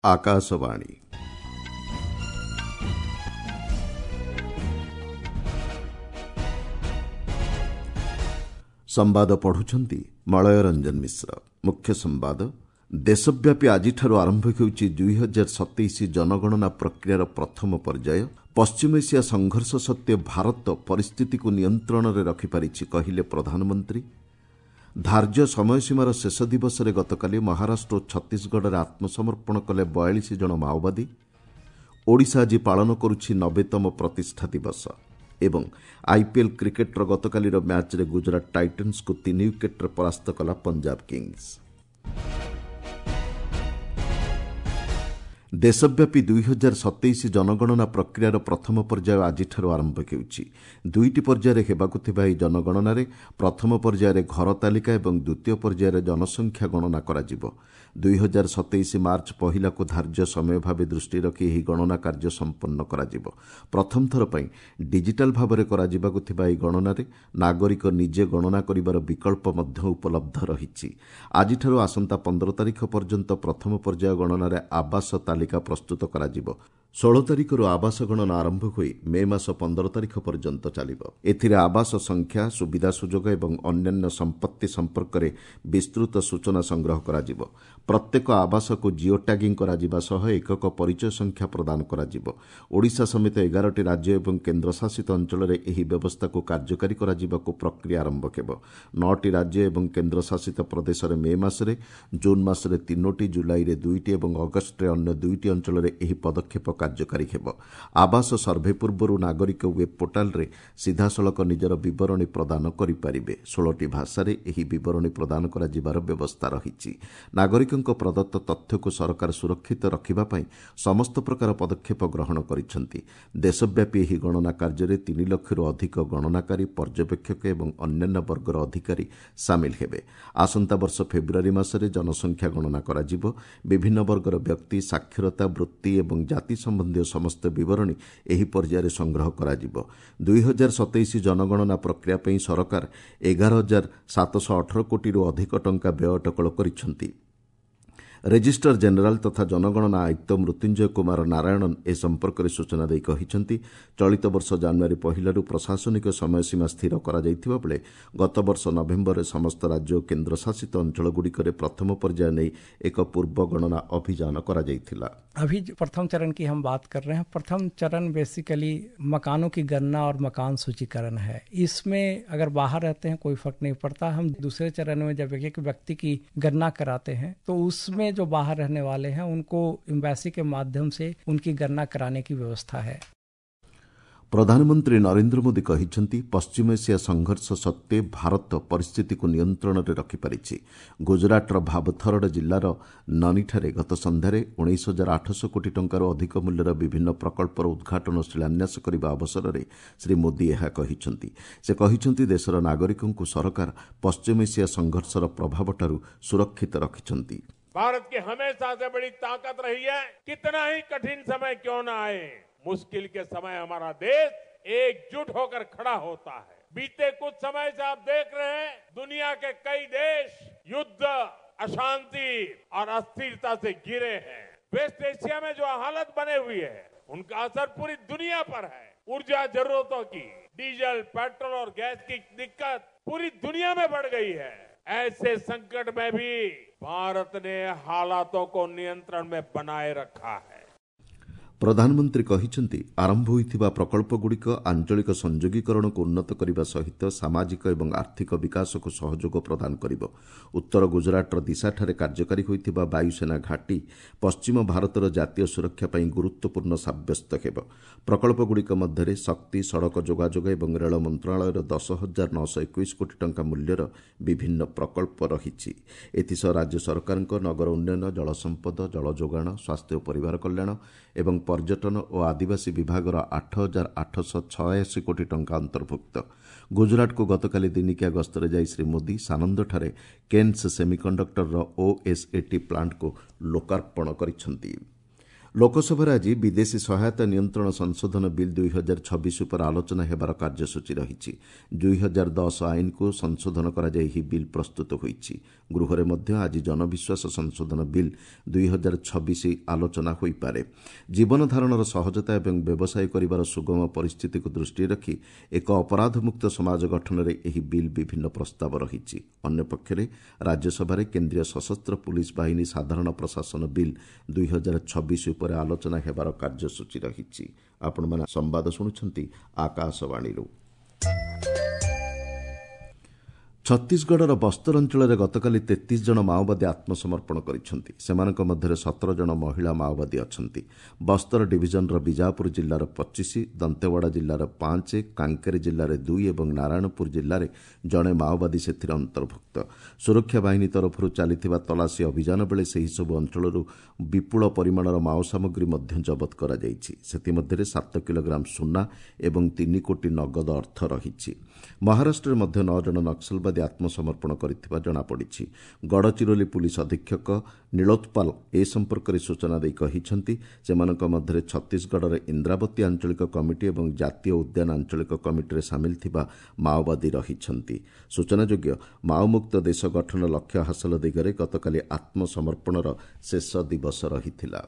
ଆକାଶବାଣୀ। ସମ୍ବାଦ ପଢୁଛନ୍ତି ମଳୟ ରଞ୍ଜନ ମିଶ୍ର। ମୁଖ୍ୟ ସମ୍ବାଦ, ଦେଶବ୍ୟାପୀ ଆଜିଠାରୁ ଆରମ୍ଭ ହେଉଛି 2027 ଜନଗଣନା ପ୍ରକ୍ରିୟାର ପ୍ରଥମ ପର୍ଯ୍ୟାୟ। ପଶ୍ଚିମ ଏସିଆ ସଂଘର୍ଷ ସତ୍ତ୍ୱେ ଭାରତ ପରିସ୍ଥିତିକୁ ନିୟନ୍ତ୍ରଣରେ ରଖିପାରିଛି, କହିଲେ ପ୍ରଧାନମନ୍ତ୍ରୀ। ଧାର୍ଯ୍ୟ ସମୟସୀମାର ଶେଷ ଦିବସରେ ଗତକାଲି ମହାରାଷ୍ଟ୍ର ଓ ଛତିଶଗଡ଼ରେ ଆତ୍ମସମର୍ପଣ କଲେ 42 ଜଣ ମାଓବାଦୀ। ଓଡ଼ିଶା ଆଜି ପାଳନ କରୁଛି 90ତମ ପ୍ରତିଷ୍ଠା ଦିବସ। ଏବଂ ଆଇପିଏଲ୍ କ୍ରିକେଟ୍ର ଗତକାଲିର ମ୍ୟାଚ୍ରେ ଗୁଜରାଟ ଟାଇଟନ୍ସକୁ 3 ୱିକେଟ୍ରେ ପରାସ୍ତ କଲା ପଞ୍ଜାବ କିଙ୍ଗସ୍। ଦେଶବ୍ୟାପୀ 2027 ଜନଗଣନା ପ୍ରକ୍ରିୟାର ପ୍ରଥମ ପର୍ଯ୍ୟାୟ ଆଜିଠାରୁ ଆରମ୍ଭ ହେଉଛି। ଦୁଇଟି ପର୍ଯ୍ୟାୟରେ ହେବାକୁ ଥିବା ଏହି ଜନଗଣନାରେ ପ୍ରଥମ ପର୍ଯ୍ୟାୟରେ ଘର ତାଲିକା ଏବଂ ଦ୍ୱିତୀୟ ପର୍ଯ୍ୟାୟରେ ଜନସଂଖ୍ୟା ଗଣନା କରାଯିବ। 2027 ମାର୍ଚ୍ଚ 1କୁ ଧାର୍ଯ୍ୟ ସମୟ ଭାବେ ଦୃଷ୍ଟି ରଖି ଏହି ଗଣନା କାର୍ଯ୍ୟ ସମ୍ପନ୍ନ କରାଯିବ। ପ୍ରଥମ ଥର ପାଇଁ ଡିଜିଟାଲ୍ ଭାବରେ କରାଯିବାକୁ ଥିବା ଏହି ଗଣନାରେ ନାଗରିକ ନିଜେ ଗଣନା କରିବାର ବିକଳ୍ପ ମଧ୍ୟ ଉପଲବ୍ଧ ରହିଛି। ଆଜିଠାରୁ ଆସନ୍ତା 15 ତାରିଖ ପର୍ଯ୍ୟନ୍ତ ପ୍ରଥମ ପର୍ଯ୍ୟାୟ ଗଣନାରେ ଆବାସ ତାଲିକା ପ୍ରସ୍ତୁତ କରାଯିବ। 16 ତାରିଖରୁ ଆବାସ ଗଣନା ଆରମ୍ଭ ହୋଇ ମେ ମାସ 15 ତାରିଖ ପର୍ଯ୍ୟନ୍ତ ଚାଲିବ। ଏଥିରେ ଆବାସ ସଂଖ୍ୟା, ସୁବିଧା ସୁଯୋଗ ଏବଂ ଅନ୍ୟାନ୍ୟ ସମ୍ପତ୍ତି ସମ୍ପର୍କରେ ବିସ୍ତୃତ ସୂଚନା ସଂଗ୍ରହ କରାଯିବ। ପ୍ରତ୍ୟେକ ଆବାସକୁ ଜିଓ ଟ୍ୟାଗିଂ କରାଯିବା ସହ ଏକକ ପରିଚୟ ସଂଖ୍ୟା ପ୍ରଦାନ କରାଯିବ। ଓଡ଼ିଶା ସମେତ 11ଟି ରାଜ୍ୟ ଏବଂ କେନ୍ଦ୍ରଶାସିତ ଅଞ୍ଚଳରେ ଏହି ବ୍ୟବସ୍ଥାକୁ କାର୍ଯ୍ୟକାରୀ କରାଯିବାକୁ ପ୍ରକ୍ରିୟା ଆରମ୍ଭ ହେବ। 9ଟି ରାଜ୍ୟ ଏବଂ କେନ୍ଦ୍ରଶାସିତ ପ୍ରଦେଶରେ ମେ ମାସରେ, ଜୁନ୍ ମାସରେ 3ଟି, ଜୁଲାଇରେ 2ଟି ଏବଂ ଅଗଷ୍ଟରେ ଅନ୍ୟ 2ଟି ଅଞ୍ଚଳରେ ଏହି ପଦକ୍ଷେପ କାର୍ଯ୍ୟକାରୀ ହେବ। ଆବାସ ସର୍ଭେ ପୂର୍ବରୁ ନାଗରିକ ୱେବ୍ ପୋର୍ଟାଲରେ ସିଧାସଳଖ ନିଜର ବିବରଣୀ ପ୍ରଦାନ କରିପାରିବେ। 16ଟି ଭାଷାରେ ଏହି ବିବରଣୀ ପ୍ରଦାନ କରାଯିବାର ବ୍ୟବସ୍ଥା ରହିଛି। ନାଗରିକଙ୍କ ପ୍ରଦତ୍ତ ତଥ୍ୟକୁ ସରକାର ସୁରକ୍ଷିତ ରଖିବା ପାଇଁ ସମସ୍ତ ପ୍ରକାର ପଦକ୍ଷେପ ଗ୍ରହଣ କରିଛନ୍ତି। ଦେଶବ୍ୟାପୀ ଏହି ଗଣନା କାର୍ଯ୍ୟରେ 3 ଲକ୍ଷରୁ ଅଧିକ ଗଣନାକାରୀ, ପର୍ଯ୍ୟବେକ୍ଷକ ଏବଂ ଅନ୍ୟାନ୍ୟ ବର୍ଗର ଅଧିକାରୀ ସାମିଲ ହେବେ। ଆସନ୍ତା ବର୍ଷ ଫେବୃଆରୀ ମାସରେ ଜନସଂଖ୍ୟା ଗଣନା କରାଯିବ। ବିଭିନ୍ନ ବର୍ଗର ବ୍ୟକ୍ତି, ସାକ୍ଷରତା, ବୃତ୍ତି ଏବଂ ଜାତି ସମ୍ବନ୍ଧୀୟ ସମସ୍ତ ବିବରଣୀ ଏହି ପର୍ଯ୍ୟାୟରେ ସଂଗ୍ରହ କରାଯିବ। 2027 ଜନଗଣନା ପ୍ରକ୍ରିୟା ପାଇଁ ସରକାର 11,718 କୋଟିରୁ ଅଧିକ ଟଙ୍କା ବ୍ୟୟ ଅଟକଳ କରିଛନ୍ତି। ରେଜିଷ୍ଟ୍ରାର ଜେନେରାଲ ତଥା ଜନଗଣନା ଆୟୁକ୍ତ ମୃତ୍ୟୁଞ୍ଜୟ କୁମାର ନାରାୟଣନ୍ ଏ ସମ୍ପର୍କରେ ସୂଚନା ଦେଇ କହିଛନ୍ତି, ଚଳିତ ବର୍ଷ ଜାନୁଆରୀ 1ରୁ ପ୍ରଶାସନିକ ସମୟସୀମା ସ୍ଥିର କରାଯାଇଥିବା ବେଳେ ଗତବର୍ଷ ନଭେମ୍ବରରେ ସମସ୍ତ ରାଜ୍ୟ ଓ କେନ୍ଦ୍ରଶାସିତ ଅଞ୍ଚଳଗୁଡ଼ିକରେ ପ୍ରଥମ ପର୍ଯ୍ୟାୟ ନେଇ ଏକ ପୂର୍ବ ଗଣନା ଅଭିଯାନ କରାଯାଇଥିଲା। अभी प्रथम चरण की हम बात कर रहे हैं। प्रथम चरण बेसिकली मकानों की गणना और मकान सूचीकरण है। इसमें अगर बाहर रहते हैं कोई फर्क नहीं पड़ता। हम दूसरे चरण में जब एक व्यक्ति की गणना कराते हैं तो उसमें जो बाहर रहने वाले हैं उनको एम्बेसी के माध्यम से उनकी गणना कराने की व्यवस्था है। ପ୍ରଧାନମନ୍ତ୍ରୀ ନରେନ୍ଦ୍ର ମୋଦି କହିଛନ୍ତି, ପଶ୍ଚିମ ଏସିଆ ସଂଘର୍ଷ ସତ୍ତ୍ୱେ ଭାରତ ପରିସ୍ଥିତିକୁ ନିୟନ୍ତ୍ରଣରେ ରଖିପାରିଛି। ଗୁଜରାଟର ଭାବଥରଡ଼ ଜିଲ୍ଲାର ନନିଠାରେ ଗତ ସନ୍ଧ୍ୟାରେ 19,800 କୋଟି ଟଙ୍କାରୁ ଅଧିକ ମୂଲ୍ୟର ବିଭିନ୍ନ ପ୍ରକଳ୍ପର ଉଦ୍ଘାଟନ ଓ ଶିଳାନ୍ୟାସ କରିବା ଅବସରରେ ଶ୍ରୀ ମୋଦି ଏହା କହିଛନ୍ତି। ସେ କହିଛନ୍ତି, ଦେଶର ନାଗରିକଙ୍କୁ ସରକାର ପଶ୍ଚିମ ଏସିଆ ସଂଘର୍ଷର ପ୍ରଭାବଠାରୁ ସୁରକ୍ଷିତ ରଖିଛନ୍ତି। भारत की हमेशा से बड़ी ताकत रही है, कितना ही कठिन समय क्यों ना आए, मुश्किल के समय हमारा देश एकजुट होकर खड़ा होता है। बीते कुछ समय से आप देख रहे हैं, दुनिया के कई देश युद्ध, अशांति और अस्थिरता से घिरे हैं। वेस्ट एशिया में जो हालत बने हुई है उनका असर पूरी दुनिया पर है। ऊर्जा जरूरतों की, डीजल, पेट्रोल और गैस की दिक्कत पूरी दुनिया में बढ़ गई है। ऐसे संकट में भी भारत ने हालातों को नियंत्रण में बनाए रखा है। ପ୍ରଧାନମନ୍ତ୍ରୀ କହିଛନ୍ତି, ଆରମ୍ଭ ହୋଇଥିବା ପ୍ରକଳ୍ପଗୁଡ଼ିକ ଆଞ୍ଚଳିକ ସଂଯୋଗୀକରଣକୁ ଉନ୍ନତ କରିବା ସହିତ ସାମାଜିକ ଏବଂ ଆର୍ଥିକ ବିକାଶକୁ ସହଯୋଗ ପ୍ରଦାନ କରିବ। ଉତ୍ତର ଗୁଜରାଟର ଦିଶାଠାରେ କାର୍ଯ୍ୟକାରୀ ହୋଇଥିବା ବାୟୁସେନା ଘାଟି ପଶ୍ଚିମ ଭାରତର ଜାତୀୟ ସୁରକ୍ଷା ପାଇଁ ଗୁରୁତ୍ୱପୂର୍ଣ୍ଣ ସାବ୍ୟସ୍ତ ହେବ। ପ୍ରକଳ୍ପଗୁଡ଼ିକ ମଧ୍ୟରେ ଶକ୍ତି, ସଡ଼କ ଯୋଗାଯୋଗ ଏବଂ ରେଳ ମନ୍ତ୍ରଣାଳୟର 10,921 କୋଟି ଟଙ୍କା ମୂଲ୍ୟର ବିଭିନ୍ନ ପ୍ରକଳ୍ପ ରହିଛି। ଏଥିସହ ରାଜ୍ୟ ସରକାରଙ୍କ ନଗର ଉନ୍ନୟନ, ଜଳସମ୍ପଦ, ଜଳଯୋଗାଣ, ସ୍ୱାସ୍ଥ୍ୟ ଓ ପରିବାର କଲ୍ୟାଣ ଏବଂ ପର୍ଯ୍ୟଟନ ଓ ଆଦିବାସୀ ବିଭାଗର 8,886 କୋଟି ଟଙ୍କା ଅନ୍ତର୍ଭୁକ୍ତ। ଗୁଜରାଟକୁ ଗତକାଲି ଦିନିକିଆ ଗସ୍ତରେ ଯାଇ ଶ୍ରୀ ମୋଦି ସାନନ୍ଦଠାରେ କେନ୍ସ ସେମିକଣ୍ଡକ୍ଟରର ଓଏସ୍ଏଟି ପ୍ଲାଣ୍ଟକୁ ଲୋକାର୍ପଣ କରିଛନ୍ତି। ଲୋକସଭାରେ ଆଜି ବିଦେଶୀ ସହାୟତା ନିୟନ୍ତ୍ରଣ ସଂଶୋଧନ ବିଲ୍ 2026 ଉପରେ ଆଲୋଚନା ହେବାର କାର୍ଯ୍ୟସୂଚୀ ରହିଛି। 2010 ଆଇନକୁ ସଂଶୋଧନ କରାଯାଇ ଏହି ବିଲ୍ ପ୍ରସ୍ତୁତ ହୋଇଛି। ଗୃହରେ ମଧ୍ୟ ଆଜି ଜନବିଶ୍ୱାସ ସଂଶୋଧନ ବିଲ୍ 2026 ଆଲୋଚନା ହୋଇପାରେ। ଜୀବନଧାରଣର ସହଜତା ଏବଂ ବ୍ୟବସାୟ କରିବାର ସୁଗମ ପରିସ୍ଥିତିକୁ ଦୃଷ୍ଟିରେ ରଖି ଏକ ଅପରାଧମୁକ୍ତ ସମାଜ ଗଠନରେ ଏହି ବିଲ୍ ବିଭିନ୍ନ ପ୍ରସ୍ତାବ ରହିଛି। ଅନ୍ୟପକ୍ଷରେ ରାଜ୍ୟସଭାରେ କେନ୍ଦ୍ରୀୟ ସଶସ୍ତ୍ର ପୁଲିସ୍ ବାହିନୀ ସାଧାରଣ ପ୍ରଶାସନ ବିଲ୍ 2026 ଉପରେ ଆଲୋଚନା ହେବାର କାର୍ଯ୍ୟସୂଚୀ ରହିଛି। ଆପଣମାନେ ସମ୍ବାଦ ଶୁଣୁଛନ୍ତି ଆକାଶବାଣୀରୁ। ଛତିଶଗଡ଼ର ବସ୍ତର ଅଞ୍ଚଳରେ ଗତକାଲି 33 ଜଣ ମାଓବାଦୀ ଆତ୍ମସମର୍ପଣ କରିଛନ୍ତି। ସେମାନଙ୍କ ମଧ୍ୟରେ 17 ଜଣ ମହିଳା ମାଓବାଦୀ ଅଛନ୍ତି। ବସ୍ତର ଡିଭିଜନର ବିଜାପୁର ଜିଲ୍ଲାର 25, ଦନ୍ତେୱାଡ଼ା ଜିଲ୍ଲାର 5, କାଙ୍କେର ଜିଲ୍ଲାରେ 2 ଏବଂ ନାରାୟଣପୁର ଜିଲ୍ଲାରେ ଜଣେ ମାଓବାଦୀ ସେଥିରେ ଅନ୍ତର୍ଭୁକ୍ତ। ସୁରକ୍ଷା ବାହିନୀ ତରଫରୁ ଚାଲିଥିବା ତଲାସୀ ଅଭିଯାନ ବେଳେ ସେହିସବୁ ଅଞ୍ଚଳରୁ ବିପୁଳ ପରିମାଣର ମାଓ ସାମଗ୍ରୀ ମଧ୍ୟ ଜବତ କରାଯାଇଛି। ସେଥିମଧ୍ୟରେ 7 କିଲୋଗ୍ରାମ ସୁନା ଏବଂ 3 କୋଟି ନଗଦ ଅର୍ଥ ରହିଛି। ମହାରାଷ୍ଟ୍ରରେ ମଧ୍ୟ 9 ଜଣ ନକ୍ସଲବାଦୀ ଆତ୍ମସମର୍ପଣ କରିଥିବା ଜଣାପଡ଼ିଛି। ଗଡ଼ଚିରୋଲି ପୁଲିସ୍ ଅଧୀକ୍ଷକ ନୀଳୋତ୍ପାଲ ଏ ସମ୍ପର୍କରେ ସୂଚନା ଦେଇ କହିଛନ୍ତି, ସେମାନଙ୍କ ମଧ୍ୟରେ ଛତିଶଗଡ଼ର ଇନ୍ଦ୍ରାବତୀ ଆଞ୍ଚଳିକ କମିଟି ଏବଂ ଜାତୀୟ ଉଦ୍ୟାନ ଆଞ୍ଚଳିକ କମିଟିରେ ସାମିଲ ଥିବା ମାଓବାଦୀ ରହିଛନ୍ତି। ସୂଚନାଯୋଗ୍ୟ, ମାଓମୁକ୍ତ ଦେଶ ଗଠନ ଲକ୍ଷ୍ୟ ହାସଲ ଦିଗରେ ଗତକାଲି ଆତ୍ମସମର୍ପଣର ଶେଷ ଦିବସ ରହିଥିଲା।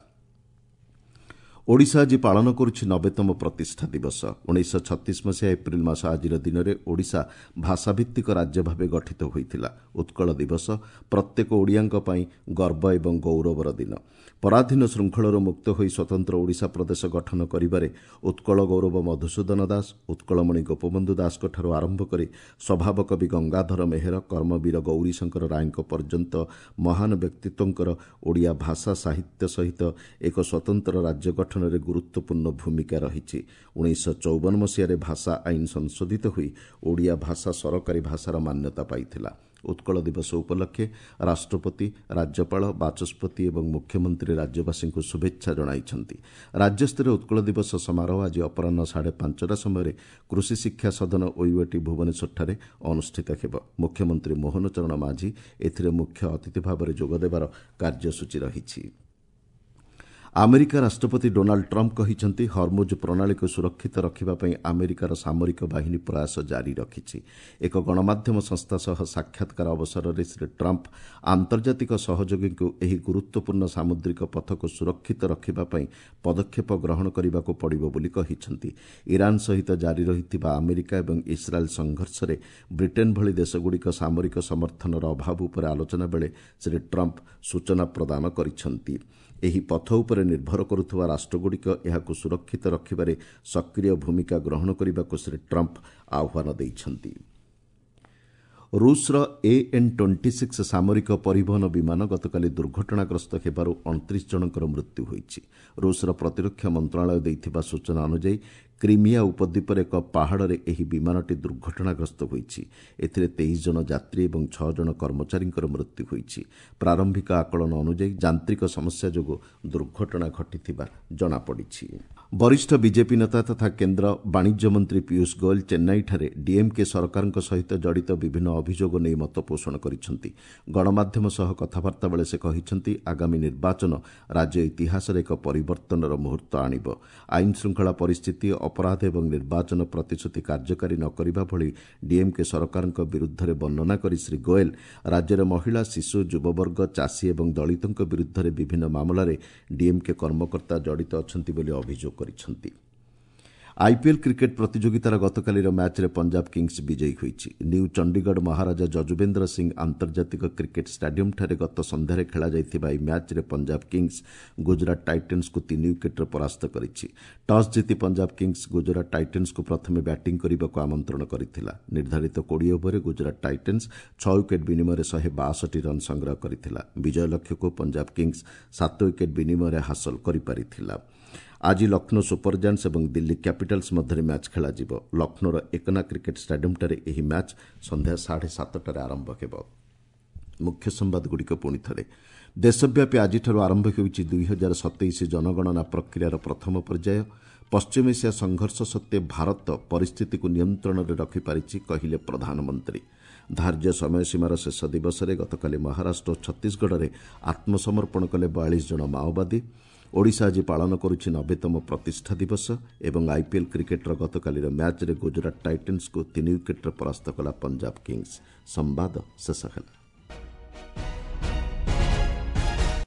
ଓଡ଼ିଶା ଆଜି ପାଳନ କରୁଛି 90ତମ ପ୍ରତିଷ୍ଠା ଦିବସ। 1936 ମସିହା ଏପ୍ରିଲ ମାସ ଆଜିର ଦିନରେ ଓଡ଼ିଶା ଭାଷାଭିତ୍ତିକ ରାଜ୍ୟ ଭାବେ ଗଠିତ ହୋଇଥିଲା। ଉତ୍କଳ ଦିବସ ପ୍ରତ୍ୟେକ ଓଡ଼ିଆଙ୍କ ପାଇଁ ଗର୍ବ ଏବଂ ଗୌରବର ଦିନ। ପରାଧୀନ ଶୃଙ୍ଖଳରୁ ମୁକ୍ତ ହୋଇ ସ୍ୱତନ୍ତ୍ର ଓଡ଼ିଶା ପ୍ରଦେଶ ଗଠନ କରିବାରେ ଉତ୍କଳ ଗୌରବ ମଧୁସୂଦନ ଦାସ, ଉତ୍କଳମଣି ଗୋପବନ୍ଧୁ ଦାସଙ୍କଠାରୁ ଆରମ୍ଭ କରି ସ୍ୱଭାବ କବି ଗଙ୍ଗାଧର ମେହେର, କର୍ମବୀର ଗୌରୀଶଙ୍କର ରାୟଙ୍କ ପର୍ଯ୍ୟନ୍ତ ମହାନ ବ୍ୟକ୍ତିତ୍ୱଙ୍କର ଓଡ଼ିଆ ଭାଷା ସାହିତ୍ୟ ସହିତ ଏକ ସ୍ୱତନ୍ତ୍ର ରାଜ୍ୟ ଗଠନରେ ଗୁରୁତ୍ୱପୂର୍ଣ୍ଣ ଭୂମିକା ରହିଛି। 1954 ମସିହାରେ ଭାଷା ଆଇନ ସଂଶୋଧିତ ହୋଇ ଓଡ଼ିଆ ଭାଷା ସରକାରୀ ଭାଷାର ମାନ୍ୟତା ପାଇଥିଲା। ଉତ୍କଳ ଦିବସ ଉପଲକ୍ଷେ ରାଷ୍ଟ୍ରପତି, ରାଜ୍ୟପାଳ, ବାଚସ୍ପତି ଏବଂ ମୁଖ୍ୟମନ୍ତ୍ରୀ ରାଜ୍ୟବାସୀଙ୍କୁ ଶୁଭେଚ୍ଛା ଜଣାଇଛନ୍ତି। ରାଜ୍ୟସ୍ତରୀୟ ଉତ୍କଳ ଦିବସ ସମାରୋହ ଆଜି ଅପରାହ୍ନ 5:30 ସମୟରେ କୃଷି ଶିକ୍ଷା ସଦନ ଓୟୁଏଟି ଭୁବନେଶ୍ୱରଠାରେ ଅନୁଷ୍ଠିତ ହେବ। ମୁଖ୍ୟମନ୍ତ୍ରୀ ମୋହନ ଚରଣ ମାଝୀ ଏଥିରେ ମୁଖ୍ୟ ଅତିଥି ଭାବରେ ଯୋଗଦେବାର କାର୍ଯ୍ୟସୂଚୀ ରହିଛି। ଆମେରିକା ରାଷ୍ଟ୍ରପତି ଡୋନାଲ୍ଡ ଟ୍ରମ୍ପ କହିଛନ୍ତି, ହର୍ମୁଜ ପ୍ରଣାଳୀକୁ ସୁରକ୍ଷିତ ରଖିବା ପାଇଁ ଆମେରିକାର ସାମରିକ ବାହିନୀ ପ୍ରୟାସ ଜାରି ରଖିଛି। ଏକ ଗଣମାଧ୍ୟମ ସଂସ୍ଥା ସହ ସାକ୍ଷାତକାର ଅବସରରେ ଶ୍ରୀ ଟ୍ରମ୍ପ ଆନ୍ତର୍ଜାତିକ ସହଯୋଗୀଙ୍କୁ ଏହି ଗୁରୁତ୍ୱପୂର୍ଣ୍ଣ ସାମୁଦ୍ରିକ ପଥକୁ ସୁରକ୍ଷିତ ରଖିବା ପାଇଁ ପଦକ୍ଷେପ ଗ୍ରହଣ କରିବାକୁ ପଡ଼ିବ ବୋଲି କହିଛନ୍ତି। ଇରାନ ସହିତ ଜାରି ରହିଥିବା ଆମେରିକା ଏବଂ ଇସ୍ରାଏଲ୍ ସଂଘର୍ଷରେ ବ୍ରିଟେନ୍ ଭଳି ଦେଶଗୁଡ଼ିକ ସାମରିକ ସମର୍ଥନର ଅଭାବ ଉପରେ ଆଲୋଚନା ବେଳେ ଶ୍ରୀ ଟ୍ରମ୍ପ ସୂଚନା ପ୍ରଦାନ କରିଛନ୍ତି। ଏହି ପଥ ଉପରେ ନିର୍ଭର କରୁଥିବା ରାଷ୍ଟ୍ରଗୁଡ଼ିକ ଏହାକୁ ସୁରକ୍ଷିତ ରଖିବାରେ ସକ୍ରିୟ ଭୂମିକା ଗ୍ରହଣ କରିବାକୁ ଶ୍ରୀ ଟ୍ରମ୍ପ ଆହ୍ୱାନ ଦେଇଛନ୍ତି। ରୁଷର AN-26 ସାମରିକ ପରିବହନ ବିମାନ ଗତକାଲି ଦୁର୍ଘଟଣାଗ୍ରସ୍ତ ହେବାରୁ 29 ଜଣଙ୍କର ମୃତ୍ୟୁ ହୋଇଛି। ରୁଷର ପ୍ରତିରକ୍ଷା ମନ୍ତ୍ରଣାଳୟ ଦେଇଥିବା ସୂଚନା ଅନୁଯାୟୀ କ୍ରିମିଆ ଉପଦ୍ୱୀପରେ ଏକ ପାହାଡ଼ରେ ଏହି ବିମାନଟି ଦୁର୍ଘଟଣାଗ୍ରସ୍ତ ହୋଇଛି। ଏଥିରେ 23 ଜଣ ଯାତ୍ରୀ ଏବଂ 6 ଜଣ କର୍ମଚାରୀଙ୍କର ମୃତ୍ୟୁ ହୋଇଛି। ପ୍ରାରମ୍ଭିକ ଆକଳନ ଅନୁଯାୟୀ ଯାନ୍ତ୍ରିକ ସମସ୍ୟା ଯୋଗୁଁ ଦୁର୍ଘଟଣା ଘଟିଥିବା ଜଣାପଡ଼ିଛି। ବରିଷ୍ଠ ବିଜେପି ନେତା ତଥା କେନ୍ଦ୍ର ବାଣିଜ୍ୟ ମନ୍ତ୍ରୀ ପୀୟୁଷ ଗୋଏଲ ଚେନ୍ନାଇଠାରେ ଡିଏମ୍କେ ସରକାରଙ୍କ ସହିତ ଜଡ଼ିତ ବିଭିନ୍ନ ଅଭିଯୋଗ ନେଇ ମତ ପୋଷଣ କରିଛନ୍ତି। ଗଣମାଧ୍ୟମ ସହ କଥାବାର୍ତ୍ତା ବେଳେ ସେ କହିଛନ୍ତି, ଆଗାମୀ ନିର୍ବାଚନ ରାଜ୍ୟ ଇତିହାସରେ ଏକ ପରିବର୍ତ୍ତନର ମୁହୂର୍ତ୍ତ ଆଣିବ। ଆଇନ ଶୃଙ୍ଖଳା ପରିସ୍ଥିତି, ଅପରାଧ ଏବଂ ନିର୍ବାଚନ ପ୍ରତିଶ୍ରୁତି କାର୍ଯ୍ୟକାରୀ ନ କରିବା ଭଳି ଡିଏମ୍କେ ସରକାରଙ୍କ ବିରୁଦ୍ଧରେ ବର୍ଣ୍ଣନା କରି ଶ୍ରୀ ଗୋଏଲ ରାଜ୍ୟରେ ମହିଳା, ଶିଶୁ, ଯୁବବର୍ଗ, ଚାଷୀ ଏବଂ ଦଳିତଙ୍କ ବିରୁଦ୍ଧରେ ବିଭିନ୍ନ ମାମଲାରେ ଡିଏମ୍କେ କର୍ମକର୍ତ୍ତା ଜଡ଼ିତ ଅଛନ୍ତି ବୋଲି ଅଭିଯୋଗ କରିଛନ୍ତି। ଆଇପିଏଲ୍ କ୍ରିକେଟ୍ ପ୍ରତିଯୋଗିତାର ଗତକାଲିର ମ୍ୟାଚ୍ରେ ପଞ୍ଜାବ କିଙ୍ଗସ୍ ବିଜୟୀ ହୋଇଛି। ନ୍ୟୁ ଚଣ୍ଡିଗଡ଼ ମହାରାଜା ଯଜୁବେନ୍ଦ୍ର ସିଂ ଆନ୍ତର୍ଜାତିକ କ୍ରିକେଟ୍ ଷ୍ଟାଡିୟମ୍ଠାରେ ଗତ ସନ୍ଧ୍ୟାରେ ଖେଳାଯାଇଥିବା ଏହି ମ୍ୟାଚ୍ରେ ପଞ୍ଜାବ କିଙ୍ଗସ୍ ଗୁଜରାଟ ଟାଇଟନ୍ସକୁ 3 ୱିକେଟ୍ରେ ପରାସ୍ତ କରିଛି। ଟସ୍ ଜିତି ପଞ୍ଜାବ କିଙ୍ଗସ୍ ଗୁଜରାଟ ଟାଇଟନ୍ସକୁ ପ୍ରଥମେ ବ୍ୟାଟିଂ କରିବାକୁ ଆମନ୍ତ୍ରଣ କରିଥିଲା। ନିର୍ଦ୍ଧାରିତ 20 ଓଭରରେ ଗୁଜରାଟ ଟାଇଟନ୍ସ 6 ୱିକେଟ୍ ବିନିମୟରେ 162 ରନ୍ ସଂଗ୍ରହ କରିଥିଲା। ବିଜୟ ଲକ୍ଷ୍ୟକୁ ପଞ୍ଜାବ କିଙ୍ଗସ୍ 7 ୱିକେଟ୍ ବିନିମୟରେ ହାସଲ କରିପାରିଥିଲା। ଆଜି ଲକ୍ଷ୍ନୌ ସୁପର ଜାଏଣ୍ଟସ୍ ଏବଂ ଦିଲ୍ଲୀ କ୍ୟାପିଟାଲ୍ସ ମଧ୍ୟରେ ମ୍ୟାଚ୍ ଖେଳାଯିବ। ଲକ୍ଷ୍ନୌର ଏକନା କ୍ରିକେଟ୍ ଷ୍ଟାଡିୟମ୍ଠାରେ ଏହି ମ୍ୟାଚ୍ ସନ୍ଧ୍ୟା 7:30ଟାରେ ଆରମ୍ଭ ହେବ। ମୁଖ୍ୟ ସମ୍ବାଦଗୁଡ଼ିକ ପୁଣି ଥରେ। ଦେଶବ୍ୟାପୀ ଆଜିଠାରୁ ଆରମ୍ଭ ହେଉଛି 2027 ଜନଗଣନା ପ୍ରକ୍ରିୟାର ପ୍ରଥମ ପର୍ଯ୍ୟାୟ। ପଶ୍ଚିମ ଏସିଆ ସଂଘର୍ଷ ସତ୍ତ୍ୱେ ଭାରତ ପରିସ୍ଥିତିକୁ ନିୟନ୍ତ୍ରଣରେ ରଖିପାରିଛି, କହିଲେ ପ୍ରଧାନମନ୍ତ୍ରୀ। ଧାର୍ଯ୍ୟ ସମୟସୀମାର ଶେଷ ଦିବସରେ ଗତକାଲି ମହାରାଷ୍ଟ୍ର ଓ ଛତିଶଗଡ଼ରେ ଆତ୍ମସମର୍ପଣ କଲେ 42 ଜଣ ମାଓବାଦୀ। ଓଡ଼ିଶା ଆଜି ପାଳନ କରୁଛି 90ତମ ପ୍ରତିଷ୍ଠା ଦିବସ ଏବଂ ଆଇପିଏଲ୍ କ୍ରିକେଟ୍ର ଗତକାଲିର ମ୍ୟାଚ୍ରେ ଗୁଜରାଟ ଟାଇଟନ୍ସକୁ 3 ୱିକେଟ୍ରେ ପରାସ୍ତ କଲା ପଞ୍ଜାବ କିଙ୍ଗସ୍। ସମ୍ବାଦ ଶେଷ ହେଲା।